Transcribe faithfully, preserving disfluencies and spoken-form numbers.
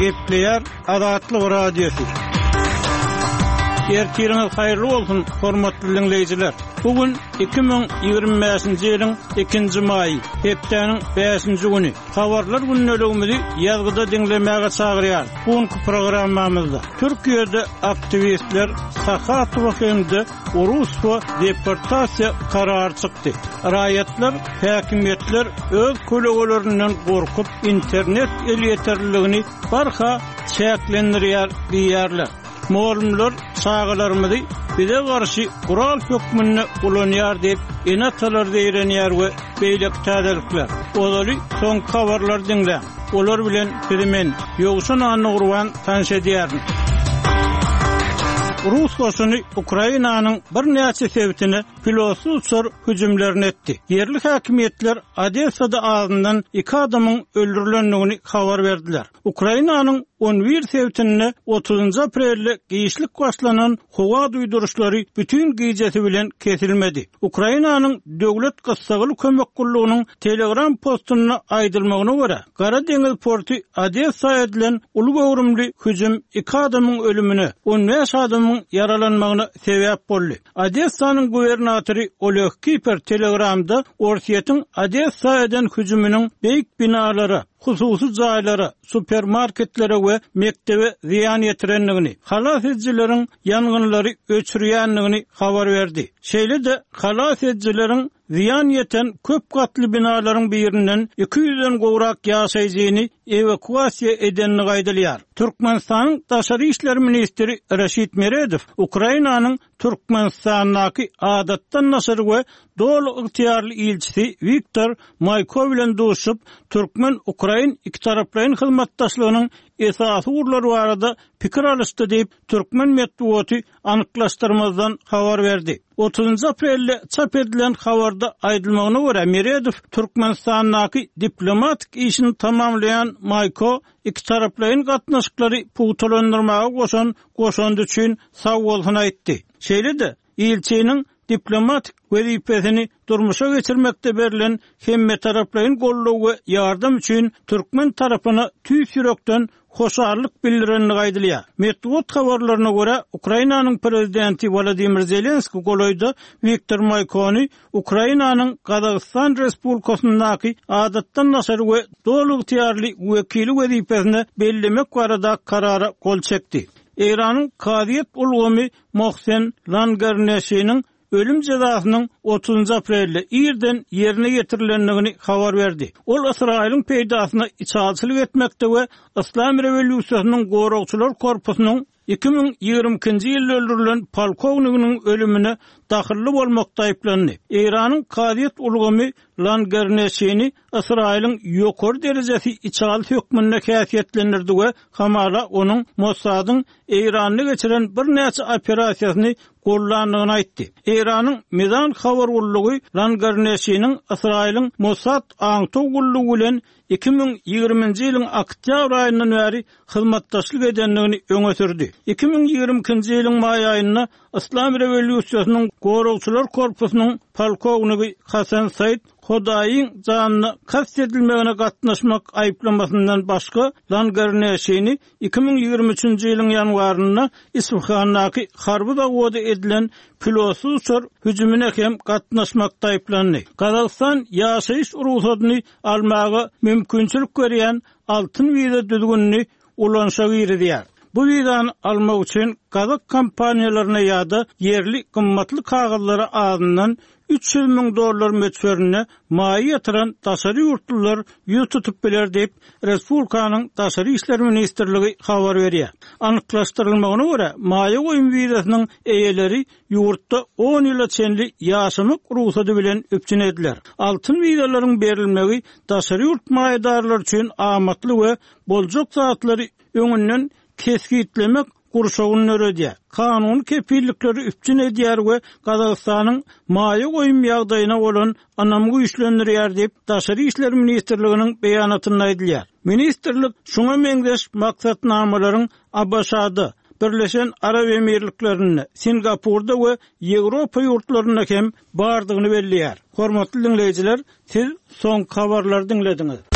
Gepleýär Azatlyk Radiosy. Ertiriňiz haýyrly bolsun, hormatly diňleýjiler. Bu gün iki müň ýigrimi bäşinji ýylyň ikinji maýy, hepdäniň bäşinji güni. Habarlar gündeligimizi ýazgyda diňlemäge çagyrýar. Bu günki programmamyzda Türkiýede aktiwistler Sahatowa hem-de Urusowa deportasiýa karary çykdy. Raýatlar, häkimiýetler öz kölegelerinden gorkup, internet elýeterliligini barha çäklendirýär diýýärler. Mugallymlar çagalarymyzy bize garşy gural hökmünde ulanýar diýip, ene-atalar zeýrenýär we beýleki täzelikler. Ozaly soňky habarlary diňläň. Olar bilen sizi men, Ýowşan Annagurban tanyş edýärin. Rus goşuny Ukrainanyň birnäçe sebitine pilotsyz uçar hüjümlerini etdi. Ýerli häkimiýetler Odessada azyndan iki adamyň öldürilendigini habar berdiler. Ukrainanyň on bir sebitinde otuzynjy aprelde giçlik başlanan howa duýduryşlary bütün gijesi bilen kesilmedi. Ukrainanyň Döwlet Gyssagly Kömek Gullugynyň Telegram postunda aýdylmagyna görä, Gara deňiz porty Odessa edilen uly göwrümli hüjüm iki adamyň ölümine, on bäş adamyň ýaralanmagyna sebäp boldy. Odessanyň gubernatory Oleg Kiper Telegramda Orsýetiň Odessa eden hüjüminiň beýik binalara, hususy jaýlara, supermarketlere we mekdebe zyýan ýetirendigini, halas edijileriň ýangynlary öçürýändigini habar berdi. Şeýle-de halas edijileriň zyýan ýeten köp gatly binalaryň birinden iki ýüzden gowrak ýaşaýjyny ewakuasiýa edenini aýdylýar. Türkmenistanyň Daşary işler ministri Raşid Meredow Ukrainanyň Türkmenistandaky adatdan daşary we doly ygtyýarly ilçisi Wiktor Maýko bilen duşup, Türkmen-Ukrain ikitaraplaýyn hyzmatdaşlygynyň esasy ugurlary barada pikir alyşdy diýip, türkmen metbugaty anyklaşdyrmazdan habar berdi. Otuzynjy aprelde çap edilen habarda aýdylmagyna görä, Meredow Türkmenistandaky diplomatik işini tamamlaýan Maýko ikitaraplaýyn gatnaşyklary pugtalandyrmaga goşan goşandy üçin sag bolsun aýtdy. Şeýle-de ilçiniň diplomatik wezipesini durmuşa geçirmekde berlen hemmetaraplaýyn goldaw we ýardam üçin türkmen tarapyna tüýs ýürekden hoşallyk bildirenligi aýdylýar. Metbugat habarlaryna görä, Ukrainanyň prezidenti Wladimir Zelenski golaýda Wiktor Maýkony Ukrainanyň Gazagystan Respublikasyndaky adatdan daşary we doly ygtyýarly wekili wezipesine bellemek barada karara gol çekdi. Eýranyň kazyýet ulgamy Mohsen Langarneşiniň ölüm jezasynyň otuzynjy aprelde irden ýerine ýetirilendigini habar berdi. Ol Ysraýylyň peýdasyna içalçylyk etmekde we Yslam rewolýusiýasynyň goragçylar korpusynyň iki müň ýigrimi ikinji ýylda öldürilen polkowniginiň ölümine dahylly bolmakda aýyplandy. Eýranyň kazyýet ulgamy Langarneşini Ysraýylyň ýokary derejesi içaly hökmünde häsiýetlendirdi we hamala onuň Mossadyň Eýranda geçiren birnäçe operasiýasyny gollandygyny aýtdy. Eýranyň Mizan habar gullugy Langarneşiniň Ysraýylyň Mossad aňtaw gullugy bilen iki müň ýigriminji ýylyň oktýabr aýyndan bäri hyzmatdaşlyk edendigini öňe sürdi. Iki müň ýigrimi ikinji ýylyň maý aýynda Yslam rewolýusiýasynyň goragçylar korpusynyň polkownigi Hasan Said Hudaýyň janyna kast edilmegine gatnaşmak aýyplamasyndan başga Langarneşini iki müň ýigrimi üçünji ýylyň ýanwarynda Isfahandaky harby zawoda edilen pilotsyz uçar hüjümine hem gatnaşmakda aýyplandy. Gazagystan ýaşaýyş rugsadyny almaga mümkinçilik berýän altyn wiza düzgünini ulanyşa girizýär. Bu wizany almak üçin gazak kompaniýalaryna ýa-da ýerli gymmatly kagyzlara azyndan üç ýüz müň dollar möçberinde maýa ýatyran daşary ýurtlular ýüz tutup biler diýip, Respublikanyň Daşary işler ministrligi habar berýär. Anyklaşdyrylmagyna görä, maýa goýum wizasynyň eýeleri ýurtda on ýyla çenli ýaşamak rugsady bilen üpjün ediler. Altyn wizalaryň berilmegi daşary ýurt maýadarlary üçin amatly we boljak zatlary öňünden kesgitlemek gurşawyny döredýär. Kanuny kepillikleri üpjün edýär we Gazagystanyň maýa goýum ýagdaýyna bolan ynamy güýçlendirýär diýip, Daşary işler ministrliginiň beýanatynda aýdylýar. Ministrlik şuňa meňzeş maksatnamalaryň A B Ş-da, Birleşen Arap Emirliklerinde, Singapurda we Ýewropa ýurtlarynda hem bardygyny belleýär. Hormatly diňleýjiler, siz soňky habarlary diňlediňiz.